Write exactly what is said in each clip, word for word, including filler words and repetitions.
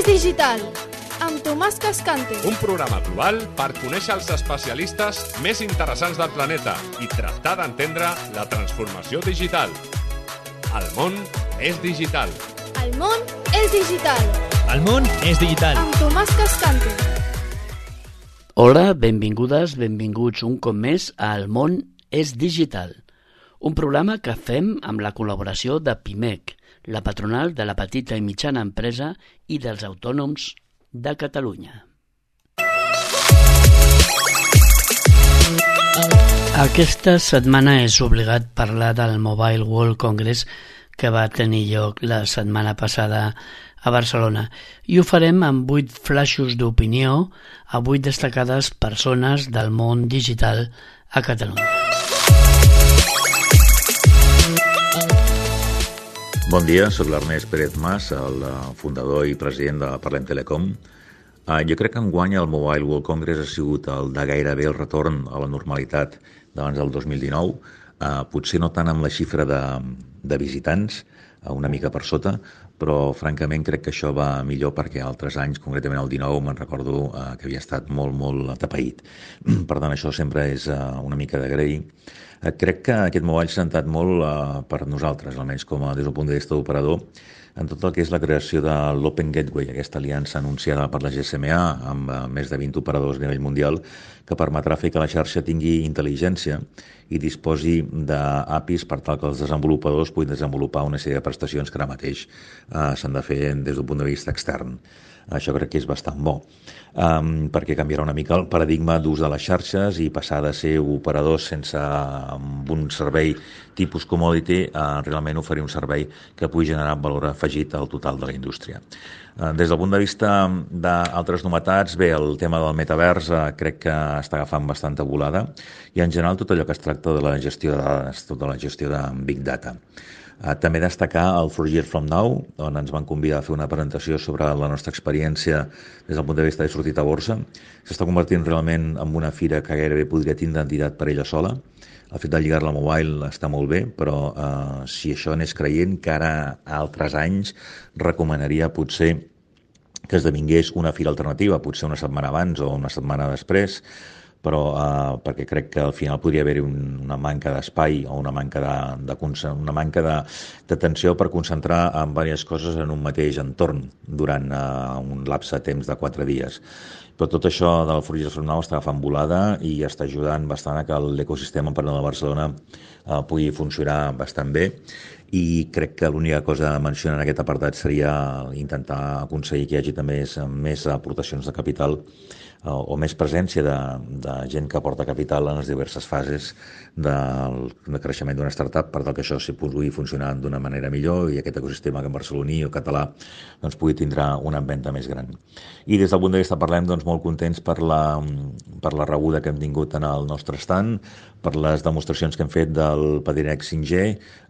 Digital, amb Tomàs Cascante. Un programa global per conèixer els especialistes més interessants del planeta i tractar d'entendre la transformació digital. El món és digital. El món és digital. El món és digital. Amb Tomàs Cascante. Hola, benvingudes, benvinguts un cop més a El món és digital, un programa que fem amb la col·laboració de Pimec, la patronal de la petita i mitjana empresa i dels autònoms de Catalunya. Aquesta setmana és obligat parlar del Mobile World Congress que va tenir lloc la setmana passada a Barcelona i ho farem amb vuit flaixos d'opinió a vuit destacades persones del món digital a Catalunya. Bon dia, soc l'Ernest Pérez Mas, el fundador i president de Parlem Telecom. Uh, jo crec que enguany el Mobile World Congress ha sigut el de gairebé el retorn a la normalitat d'abans del dos mil dinou, uh, potser no tant amb la xifra de, de visitants, uh, una mica per sota, però francament crec que això va millor perquè altres anys, concretament el dinou, me'n recordo uh, que havia estat molt, molt atapeït. Per tant, això sempre és uh, una mica d'agrair. Uh, crec que aquest mobile s'ha sentat molt uh, per nosaltres, almenys com a, des del punt de vista d'operador, en tot el que és la creació de l'Open Gateway, aquesta aliança anunciada per la G S M A amb uh, més de vint operadors a nivell mundial, que permetrà fer que la xarxa tingui intel·ligència i disposi d'A P Is per tal que els desenvolupadors puguin desenvolupar una sèrie de prestacions que ara mateix uh, s'han de fer des d'un punt de vista extern. Això crec que és bastant bo, um, perquè canviarà una mica el paradigma d'ús de les xarxes i passar de ser operadors sense un servei tipus commodity a realment oferir un servei que pugui generar valor afegit al total de la indústria. Des del punt de vista d'altres novetats, bé, el tema del metavers eh, crec que està agafant bastanta volada i en general tot allò que es tracta de la gestió de dades, tota la gestió de Big Data. Uh, també destacar el Four Years From Now, on ens van convidar a fer una presentació sobre la nostra experiència des del punt de vista de sortit a borsa. S'està convertint realment en una fira que gairebé podria tindre entitat per ella sola. El fet de lligar-la al mobile està molt bé, però uh, si això anés creient, que ara a altres anys recomanaria potser que esdevingués una fira alternativa, potser una setmana abans o una setmana després, però eh, perquè crec que al final podria haver-hi un, una manca d'espai o una manca de, de, una manca de, d'atenció per concentrar en diverses coses en un mateix entorn durant eh, un lapse de temps de quatre dies. Però tot això del Four Years From Now està agafant volada i està ajudant bastant a que l'ecosistema empresarial de Barcelona eh, pugui funcionar bastant bé i crec que l'única cosa a mencionar en aquest apartat seria intentar aconseguir que hi hagi també més, més aportacions de capital o més presència de, de gent que aporta capital en les diverses fases del de creixement d'una startup per tal que això sí pugui funcionar d'una manera millor i aquest ecosistema que en barceloní o català doncs, pugui tindre una empenta més gran. I des del punt de vista parlem doncs, molt contents per la, per la rebuda que hem tingut en el nostre stand, per les demostracions que hem fet del Padinex cinc G,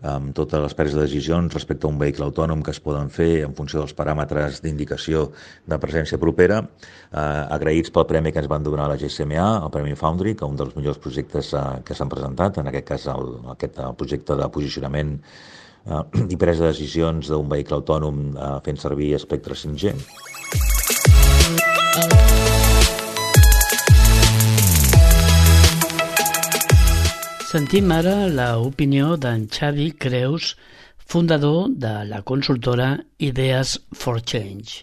amb totes les preses de decisions respecte a un vehicle autònom que es poden fer en funció dels paràmetres d'indicació de presència propera, eh, agraïts pel premi que ens van donar a la G S M A, el Premi Foundry, que un dels millors projectes eh, que s'han presentat, en aquest cas el, aquest projecte de posicionament eh, i presa de decisions d'un vehicle autònom eh, fent servir espectre cinc G. Sentim ara l'opinió d'en Xavi Creus, fundador de la consultora Ideas for Change.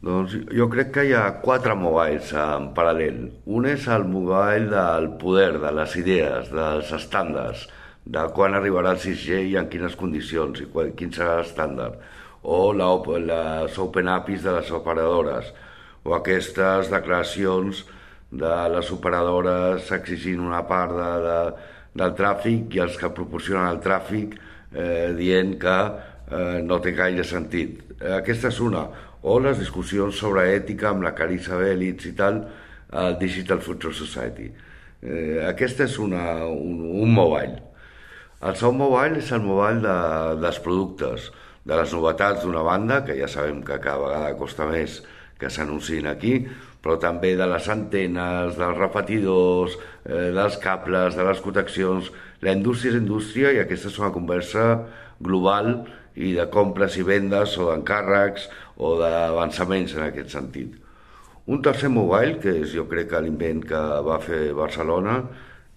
Doncs jo crec que hi ha quatre mobiles en paral·lel. Un és el mobile del poder, de les idees, dels estàndards, de quan arribarà el sis G i en quines condicions i quin serà l'estàndard. O la, les Open A P Is de les operadores, o aquestes declaracions de les operadores exigint una part de, de, del tràfic i els que proporcionen el tràfic eh, dient que eh, no té gaire sentit. Aquesta és una. O les discussions sobre ètica amb la Carissa Belitz i tal, al Digital Future Society. Eh, aquesta és una, un, un mobile. El segon mobile és el mobile de, dels productes, de les novetats d'una banda, que ja sabem que cada vegada costa més que s'anunciïn aquí, però també de les antenes, dels repetidors, eh, dels cables, de les connexions. La indústria és indústria i aquesta és una conversa global i de compres i vendes o d'encàrrecs o d'avançaments en aquest sentit. Un tercer mobile, que és jo crec que l'invent que va fer Barcelona,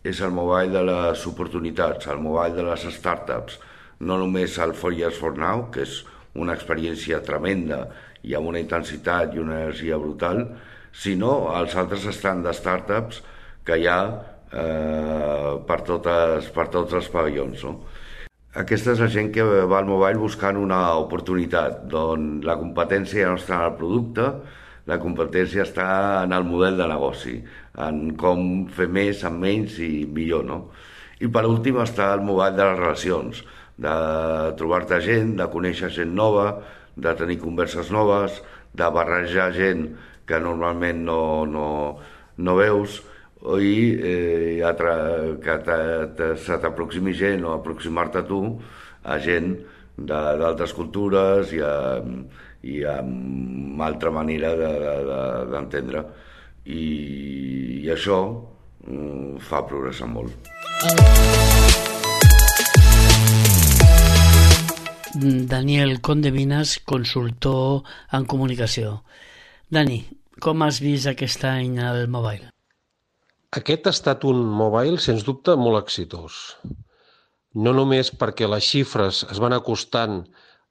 és el mobile de les oportunitats, el mobile de les startups. No només el four years for now, que és una experiència tremenda i amb una intensitat i una energia brutal, sinó els altres stand de startups que hi ha eh, per, totes, per tots els pavellons. No? Aquesta és la gent que va al mobile buscant una oportunitat, on la competència ja no està en el producte, la competència està en el model de negoci, en com fer més amb menys i millor. No? I per últim està el mobile de les relacions, de trobar-te gent, de conèixer gent nova, de tenir converses noves, de barrejar gent que normalment no, no, no veus, i eh, que te, te, se t'aproximi gent o aproximar-te tu a gent d'altres cultures i, a, i amb altra manera d'entendre. De, de, I, I això mm, fa progressar molt. Daniel Condevinas, consultor en comunicació. Dani, com has vist aquest any el mobile? Aquest ha estat un mobile, sens dubte, molt exitós. No només perquè les xifres es van acostant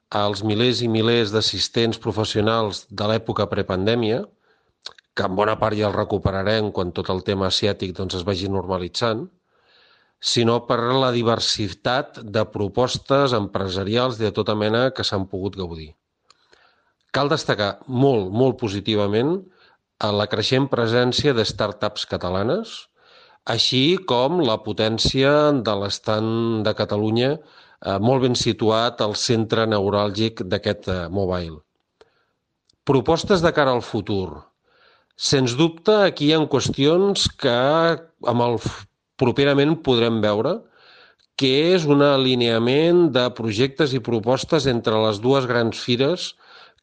als milers i milers d'assistents professionals de l'època prepandèmia, que en bona part ja el recuperarem quan tot el tema asiàtic doncs, es vagi normalitzant, sinó per la diversitat de propostes empresarials de tota mena que s'han pogut gaudir. Cal destacar molt, molt positivament la creixent presència de startups catalanes, així com la potència de l'estand de Catalunya eh, molt ben situat al centre neuràlgic d'aquest eh, mobile. Propostes de cara al futur. Sens dubte, aquí hi ha qüestions que amb el properament podrem veure, que és un alineament de projectes i propostes entre les dues grans fires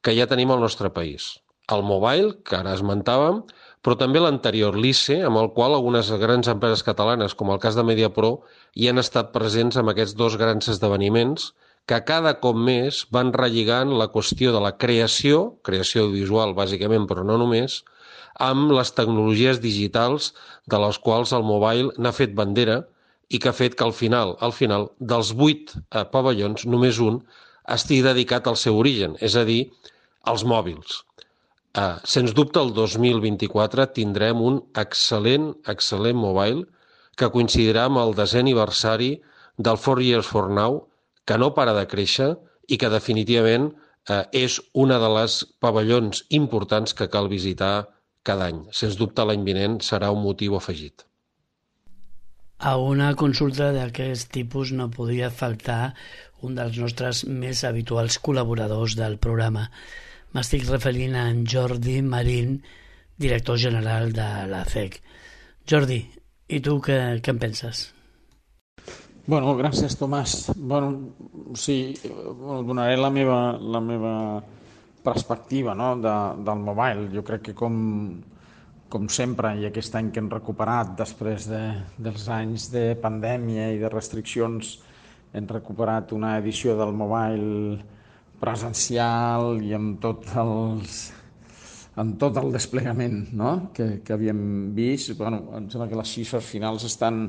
que ja tenim al nostre país. El mobile, que ara esmentàvem, però també l'anterior, l'I C E, amb el qual algunes grans empreses catalanes, com el cas de Mediapro, hi han estat presents amb aquests dos grans esdeveniments que cada cop més van relligant la qüestió de la creació, creació audiovisual bàsicament, però no només, amb les tecnologies digitals de les quals el mobile n'ha fet bandera i que ha fet que al final, al final dels vuit eh, pavellons, només un estigui dedicat al seu origen, és a dir, als mòbils. Eh, sens dubte, el dos mil vint-i-quatre tindrem un excel·lent, excel·lent mobile que coincidirà amb el desè aniversari del four years for now, que no para de créixer i que definitivament eh, és una de les pavellons importants que cal visitar cada any. Sens dubte, l'any vinent serà un motiu afegit. A una consulta d'aquest tipus no podia faltar un dels nostres més habituals col·laboradors del programa. M'estic referint a en Jordi Marín, director general de la C E C. Jordi, i tu què, què en penses? Bueno, gràcies, Tomàs. Bueno, sí, bueno, donaré la meva, la meva perspectiva, no, de, del mobile. Jo crec que com, com sempre, i aquest any que hem recuperat després de, dels anys de pandèmia i de restriccions, hem recuperat una edició del mobile presencial i amb tot, els, amb tot el desplegament, no, que, que havíem vist. Bueno, em sembla que les xifres finals estan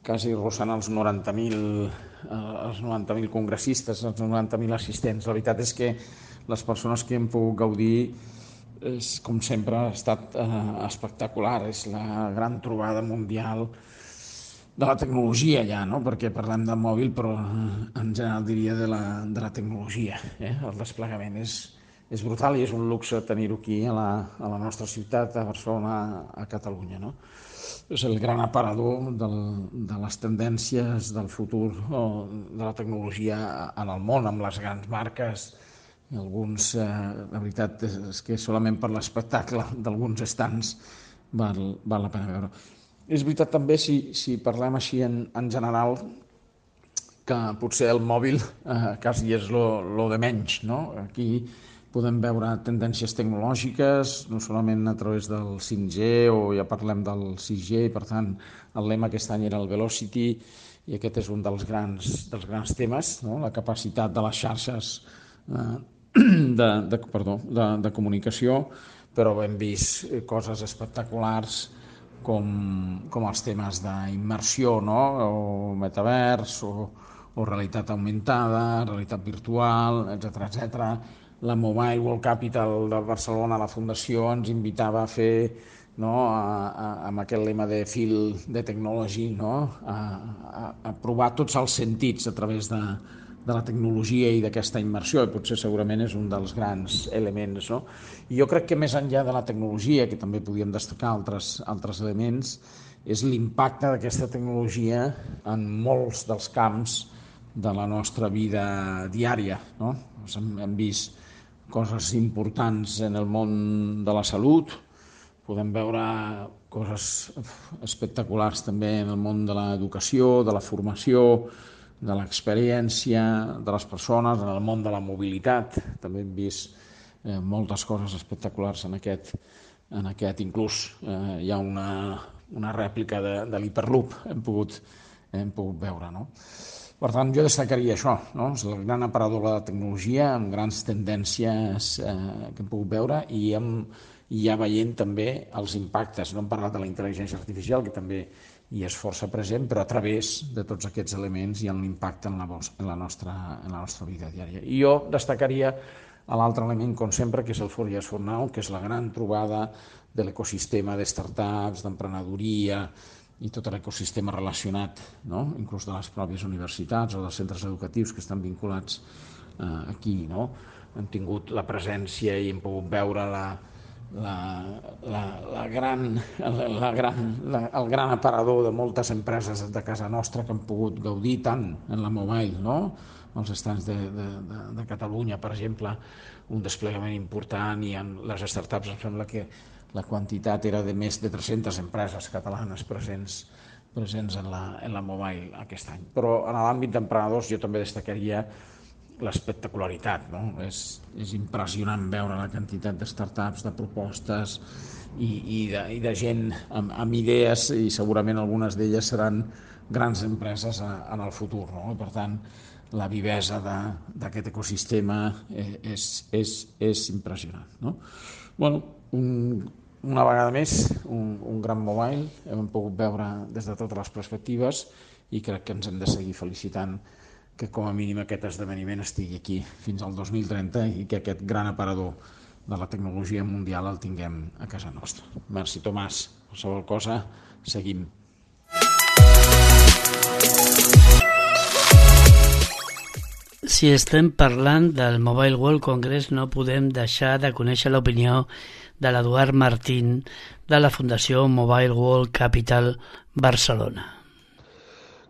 quasi rossant els noranta mil els noranta mil congressistes, els noranta mil assistents. La veritat és que les persones que hem pogut gaudir, és, com sempre, ha estat eh, espectacular. És la gran trobada mundial de la tecnologia ja, no? Perquè parlem de mòbil, però en general diria de la, de la tecnologia. Eh? El desplegament és, és brutal i és un luxe tenir-ho aquí a la, a la nostra ciutat, a Barcelona, a Catalunya. No? És el gran aparador del, de les tendències del futur o de la tecnologia en el món, amb les grans marques. Alguns, eh, la veritat és que solament per l'espectacle d'alguns estants val, val la pena veure. És veritat també, si, si parlem així en, en general, que potser el mòbil eh, quasi és lo, lo de menys, no? Aquí podem veure tendències tecnològiques, no solament a través del cinc G, o ja parlem del sis G, per tant, el lema aquest any era el Velocity, i aquest és un dels grans, dels grans temes, no? La capacitat de les xarxes eh, de, de, perdó, de, de comunicació, però hem vist coses espectaculars com, com els temes d'immersió, no? O metavers, o, o realitat augmentada, realitat virtual, etcètera, etcètera. La Mobile World Capital de Barcelona, la Fundació, ens invitava a fer, no, a, a, amb aquest lema de feel de technology, no, a, a, a provar tots els sentits a través de, de la tecnologia i d'aquesta immersió, i potser segurament és un dels grans elements, no? I jo crec que més enllà de la tecnologia, que també podíem destacar altres, altres elements, és l'impacte d'aquesta tecnologia en molts dels camps de la nostra vida diària, no? Hem, hem vist coses importants en el món de la salut, podem veure coses espectaculars també en el món de l'educació, de la formació, de l'experiència de les persones, en el món de la mobilitat. També hem vist eh, moltes coses espectaculars en aquest, en aquest inclús eh, hi ha una, una rèplica de, de l'Hyperloop, hem pogut, hem pogut veure, no? Per tant, jo destacaria això, no? És el gran aparador de la tecnologia, amb grans tendències eh, que hem pogut veure, i, amb, i ja veient també els impactes. No hem parlat de la intel·ligència artificial, que també hi és força present, però a través de tots aquests elements hi ha un impacte en la, en la, nostra, en la nostra vida diària. I jo destacaria l'altre element, com sempre, que és el four years from now, que és la gran trobada de l'ecosistema de startups, d'emprenedoria, i tot l'ecosistema relacionat, no? Inclús de les pròpies universitats o dels centres educatius que estan vinculats eh, aquí, no? Hem tingut la presència i hem pogut veure la, la, la, la gran, la gran, la, el gran aparador de moltes empreses de casa nostra que han pogut gaudir tant en la mobile, no? Els estants de, de, de, de Catalunya, per exemple, un desplegament important, i en les startups em sembla que la quantitat era de més de tres-centes empreses catalanes presents, presents en, la, en la mobile aquest any. Però en l'àmbit d'emprenedors jo també destacaria l'espectacularitat, no? És, és impressionant veure la quantitat de startups, de propostes i, i, de, i de gent amb, amb idees, i segurament algunes d'elles seran grans empreses a, en el futur, no? I per tant, la vivesa d'aquest ecosistema és, és, és impressionant, no? Bueno, un, una vegada més, un, un gran mobile, hem pogut veure des de totes les perspectives, i crec que ens hem de seguir felicitant que com a mínim aquest esdeveniment estigui aquí fins al dos mil trenta i que aquest gran aparador de la tecnologia mundial el tinguem a casa nostra. Merci, Tomàs. Qualsevol cosa, seguim. Si estem parlant del Mobile World Congress, no podem deixar de conèixer l'opinió de l'Eduard Martín de la Fundació Mobile World Capital Barcelona.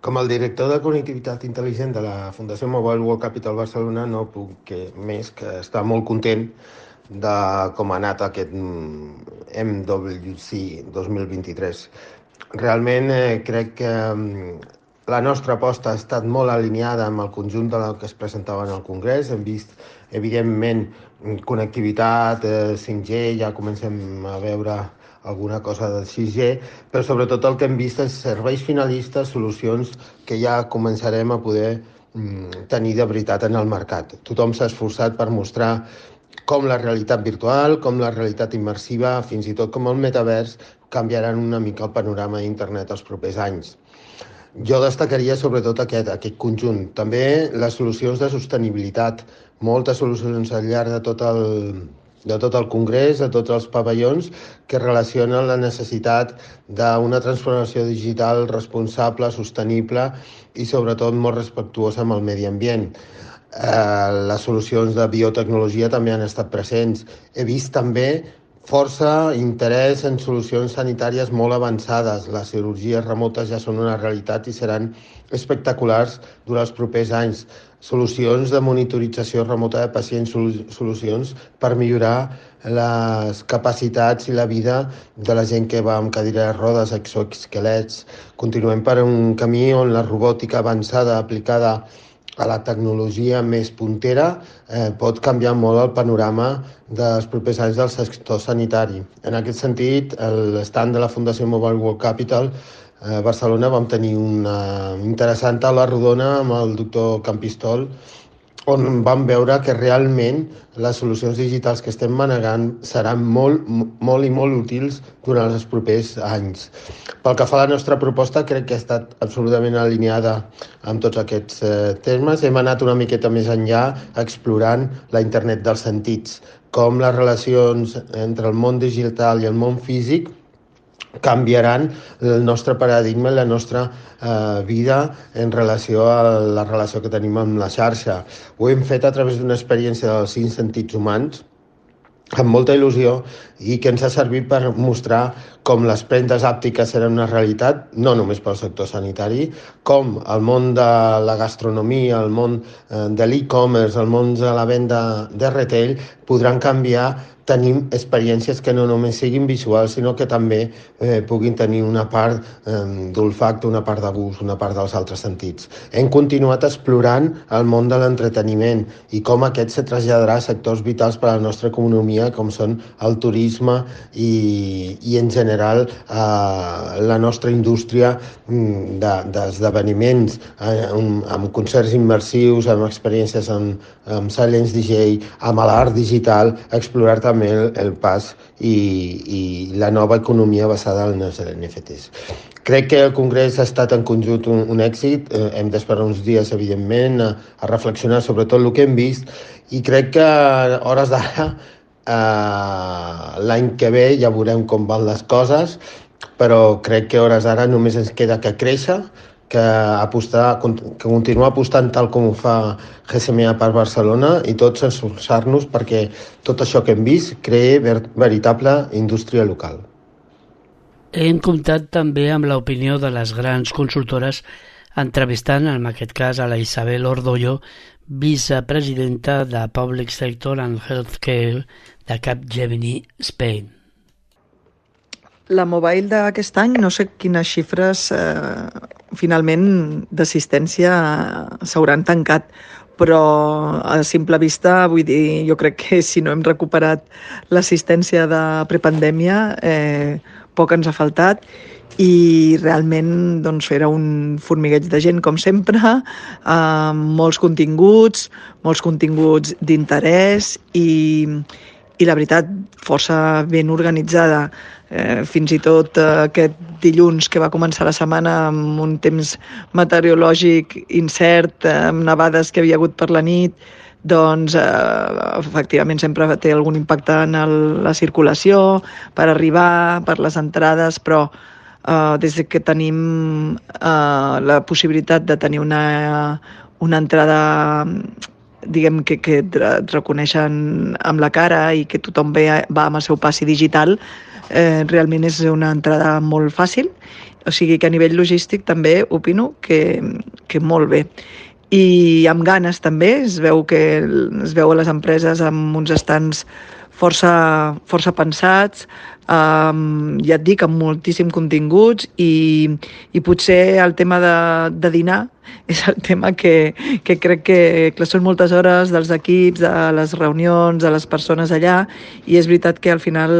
Com el director de connectivitat intel·ligent de la Fundació Mobile World Capital Barcelona, no puc que, més que estar molt content de com ha anat aquest M W C dos mil vint-i-tres. Realment eh, crec que la nostra aposta ha estat molt alineada amb el conjunt del que es presentava en el Congrés. Hem vist, evidentment, connectivitat, eh, cinc G, ja comencem a veure alguna cosa del sis G, però sobretot el que hem vist és serveis finalistes, solucions que ja començarem a poder mm, tenir de veritat en el mercat. Tothom s'ha esforçat per mostrar com la realitat virtual, com la realitat immersiva, fins i tot com el metavers, canviaran una mica el panorama d'internet els propers anys. Jo destacaria sobretot aquest, aquest conjunt. També les solucions de sostenibilitat, moltes solucions al llarg de tot el, de tot el Congrés, de tots els pavellons, que relacionen la necessitat d'una transformació digital responsable, sostenible i sobretot molt respectuosa amb el medi ambient. Eh, les solucions de biotecnologia també han estat presents. He vist també força interès en solucions sanitàries molt avançades. Les cirurgies remotes ja són una realitat i seran espectaculars durant els propers anys. Solucions de monitorització remota de pacients, solucions per millorar les capacitats i la vida de la gent que va amb cadira de rodes, exoesquelets. Continuem per un camí on la robòtica avançada aplicada a la tecnologia més puntera eh, pot canviar molt el panorama dels propers anys del sector sanitari. En aquest sentit, l'estand de la Fundació Mobile World Capital a Barcelona vam tenir una interessant taula rodona amb el doctor Campistol on vam veure que realment les solucions digitals que estem manegant seran molt, molt i molt útils durant els propers anys. Pel que fa a la nostra proposta, crec que ha estat absolutament alineada amb tots aquests eh, termes. Hem anat una miqueta més enllà explorant la internet dels sentits, com les relacions entre el món digital i el món físic canviaran el nostre paradigma i la nostra eh, vida en relació a la relació que tenim amb la xarxa. Ho hem fet a través d'una experiència dels cinc sentits humans, amb molta il·lusió, i que ens ha servit per mostrar com les premses àptiques eren una realitat, no només pel sector sanitari, com el món de la gastronomia, el món de l'e-commerce, el món de la venda de retail, podran canviar. Tenim experiències que no només siguin visuals, sinó que també eh, puguin tenir una part eh, d'olfacte, una part de gust, una part dels altres sentits. Hem continuat explorant el món de l'entreteniment i com aquest se traslladarà a sectors vitals per a la nostra economia, com són el turisme i, i en general eh, la nostra indústria d'esdeveniments, de, eh, amb concerts immersius, amb experiències amb, amb Silence D J, amb l'art digital, explorar també el, el pas i, i la nova economia basada en els N F Ts. Crec que el Congrés ha estat en conjunt un, un èxit. Eh, hem d'esperar uns dies, evidentment, a, a reflexionar sobre tot el que hem vist, i crec que a hores d'ara, eh, l'any que ve ja veurem com van les coses, però crec que a hores d'ara només ens queda que créixer, que apostar, que continuar apostant tal com ho fa G S M A per Barcelona, i tots esforçar-nos perquè tot això que hem vist creï ver, veritable indústria local. Hem comptat també amb l'opinió de les grans consultores, entrevistant en aquest cas a la Isabel Ordollo, vicepresidenta de Public Sector and Healthcare de Capgemini Spain. La Mobile d'aquest any, no sé quines xifres eh, finalment d'assistència s'hauran tancat, però a simple vista, vull dir, jo crec que si no hem recuperat l'assistència de prepandèmia, eh, poc ens ha faltat, i realment doncs, era un formigueig de gent, com sempre, amb molts continguts, molts continguts d'interès i, i la veritat, força ben organitzada. Eh, fins i tot eh, aquest dilluns que va començar la setmana amb un temps meteorològic incert, eh, amb nevades que havia hagut per la nit, doncs eh, efectivament sempre té algun impacte en el, la circulació, per arribar, per les entrades, però eh, des que tenim eh, la possibilitat de tenir una, una entrada, diguem que, que et reconeixen amb la cara i que tothom ve, va amb el seu passi digital, eh, realment és una entrada molt fàcil, o sigui que a nivell logístic també opino que, que molt bé. I amb ganes també, es veu que es veu a les empreses amb uns estants força, força pensats, um, ja et dic, amb moltíssim continguts, i, i potser el tema de, de dinar és el tema que, que crec que, que són moltes hores dels equips, de les reunions, de les persones allà, i és veritat que al final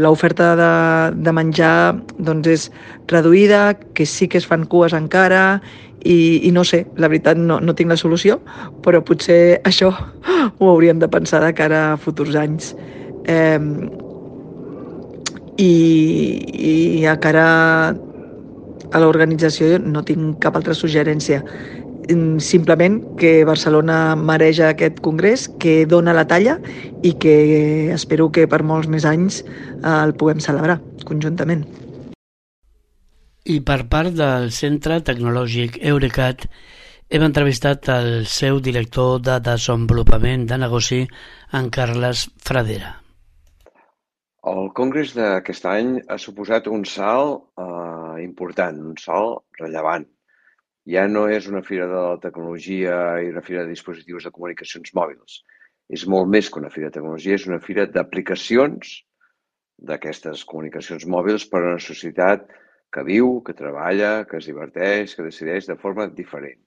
l'oferta de, de menjar doncs és reduïda, que sí que es fan cues encara, i, i no sé, la veritat no, no tinc la solució, però potser això ho hauríem de pensar de cara a futurs anys. Eh, i, I a cara a l'organització no tinc cap altra suggerència. Simplement que Barcelona mereix aquest congrés, que dona la talla i que espero que per molts més anys el puguem celebrar conjuntament. I per part del Centre Tecnològic Eurecat hem entrevistat el seu director de desenvolupament de negoci, en Carles Fradera. El congrés d'aquest any ha suposat un salt eh, important, un salt rellevant. Ja no és una fira de la tecnologia i una fira de dispositius de comunicacions mòbils. És molt més que una fira de tecnologia, és una fira d'aplicacions d'aquestes comunicacions mòbils per a una societat que viu, que treballa, que es diverteix, que decideix de forma diferent.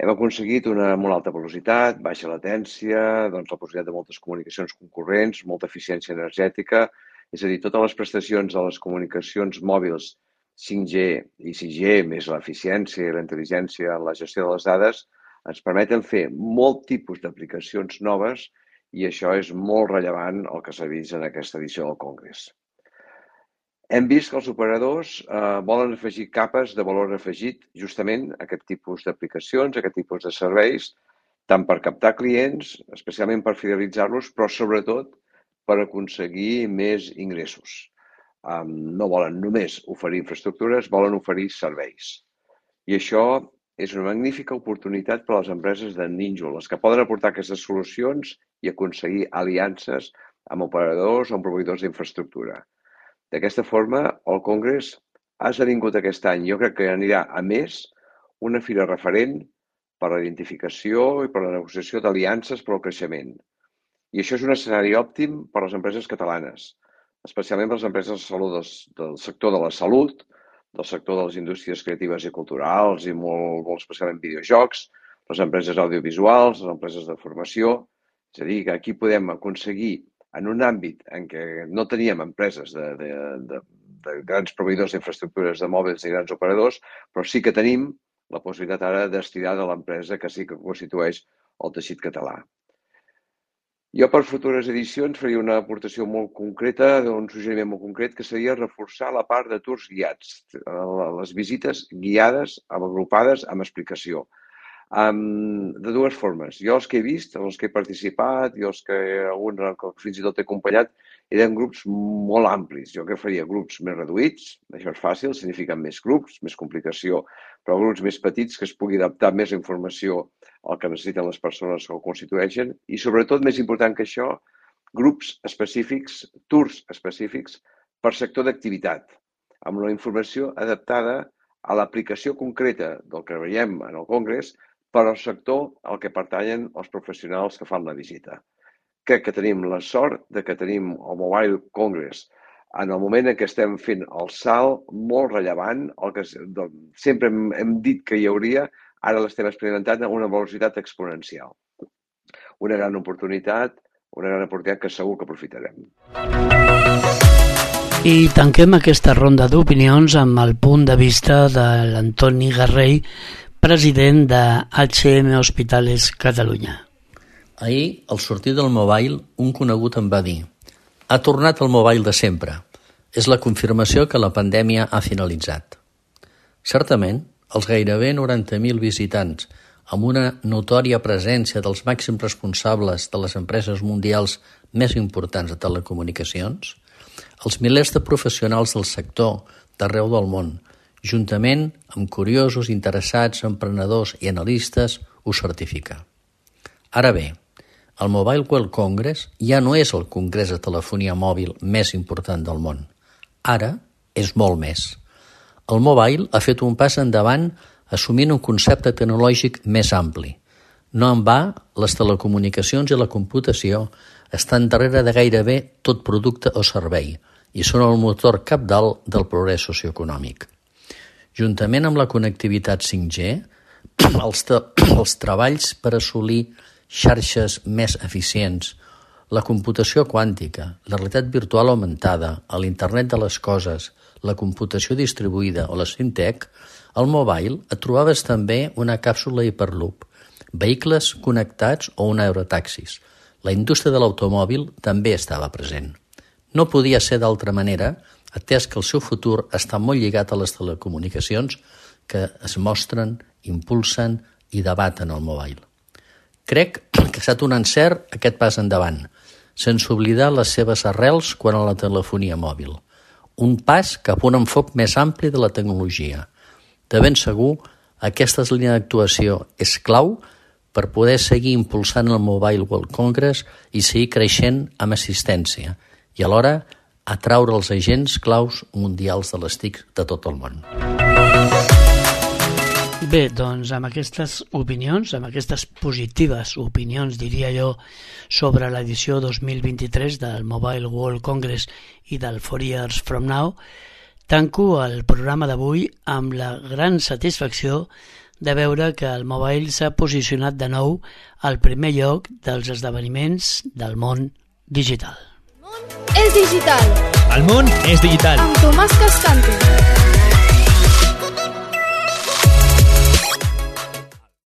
Hem aconseguit una molt alta velocitat, baixa latència, doncs la possibilitat de moltes comunicacions concurrents, molta eficiència energètica, és a dir, totes les prestacions de les comunicacions mòbils cinc G i sis G, més l'eficiència i la intel·ligència en la gestió de les dades, ens permeten fer molt tipus d'aplicacions noves i això és molt rellevant el que s'ha vist en aquesta edició del Congrés. Hem vist que els operadors eh, volen afegir capes de valor afegit justament a aquest tipus d'aplicacions, a aquest tipus de serveis, tant per captar clients, especialment per fidelitzar-los, però sobretot per aconseguir més ingressos. Um, no volen només oferir infraestructures, volen oferir serveis. I això és una magnífica oportunitat per a les empreses de nínxol, les que poden aportar aquestes solucions i aconseguir aliances amb operadors o amb proveïdors d'infraestructura. D'aquesta forma, el Congrés ha esdevingut aquest any, jo crec que anirà a més, una fira referent per a la identificació i per a la negociació d'aliances per al creixement. I això és un escenari òptim per a les empreses catalanes, especialment per a les empreses de salut del, del sector de la salut, del sector de les indústries creatives i culturals i molt, molt especialment videojocs, les empreses audiovisuals, les empreses de formació. És a dir, que aquí podem aconseguir, en un àmbit en què no teníem empreses de, de, de, de grans proveïdors d'infraestructures de mòbils i grans operadors, però sí que tenim la possibilitat ara d'estirar de l'empresa que sí que constitueix el teixit català. Jo per futures edicions faria una aportació molt concreta, un suggeriment molt concret, que seria reforçar la part de tours guiats, les visites guiades, agrupades, amb explicació. Um, de dues formes. Jo els que he vist, els que he participat i els que alguns fins i tot he acompanyat, eren grups molt amplis. Jo que faria grups més reduïts, això és fàcil, signifiquen més grups, més complicació, però grups més petits que es pugui adaptar més la informació al que necessiten les persones que ho constitueixen i sobretot, més important que això, grups específics, tours específics per sector d'activitat, amb la informació adaptada a l'aplicació concreta del que veiem en el Congrés per al sector al que pertanyen els professionals que fan la visita. Crec que tenim la sort de que tenim el Mobile Congress en el moment en què estem fent el salt molt rellevant, el que sempre hem, hem dit que hi hauria, ara l'estem experimentant a una velocitat exponencial. Una gran oportunitat, una gran oportunitat que segur que aprofitarem. I tanquem aquesta ronda d'opinions amb el punt de vista de l'Antoni Garrell, president de H M Hospitales Catalunya. Ahir, al sortir del mobile, un conegut em va dir: ha tornat el mobile de sempre. És la confirmació que la pandèmia ha finalitzat. Certament, els gairebé noranta mil visitants, amb una notòria presència dels màxims responsables de les empreses mundials més importants de telecomunicacions, els milers de professionals del sector d'arreu del món, juntament amb curiosos, interessats, emprenedors i analistes, ho certifica. Ara bé, el Mobile World Congress ja no és el congrés de telefonia mòbil més important del món. Ara és molt més. El mobile ha fet un pas endavant assumint un concepte tecnològic més ampli. No en va, les telecomunicacions i la computació estan darrere de gairebé tot producte o servei i són el motor cabdal del progrés socioeconòmic. Juntament amb la connectivitat cinc G, els, els treballs per assolir xarxes més eficients, la computació quàntica, la realitat virtual augmentada, l'Internet de les coses, la computació distribuïda o la fintech, al mobile et trobaves també una càpsula Hyperloop, vehicles connectats o un aerotaxis. La indústria de l'automòbil també estava present. No podia ser d'altra manera, atès que el seu futur està molt lligat a les telecomunicacions que es mostren, impulsen i debaten al mobile. Crec que ha estat un encert aquest pas endavant, sense oblidar les seves arrels quan a la telefonia mòbil. Un pas cap a un enfoc més ampli de la tecnologia. De ben segur, aquesta línia d'actuació és clau per poder seguir impulsant el Mobile World Congress i seguir creixent amb assistència i alhora atraure els agents claus mundials de les T I C de tot el món. Bé, doncs amb aquestes opinions, amb aquestes positives opinions, diria jo, sobre l'edició dos mil vint-i-tres del Mobile World Congress i del Four Years From Now, tanco el programa d'avui amb la gran satisfacció de veure que el mobile s'ha posicionat de nou al primer lloc dels esdeveniments del món digital. El món és digital. El món és digital. Amb Tomàs Cascante.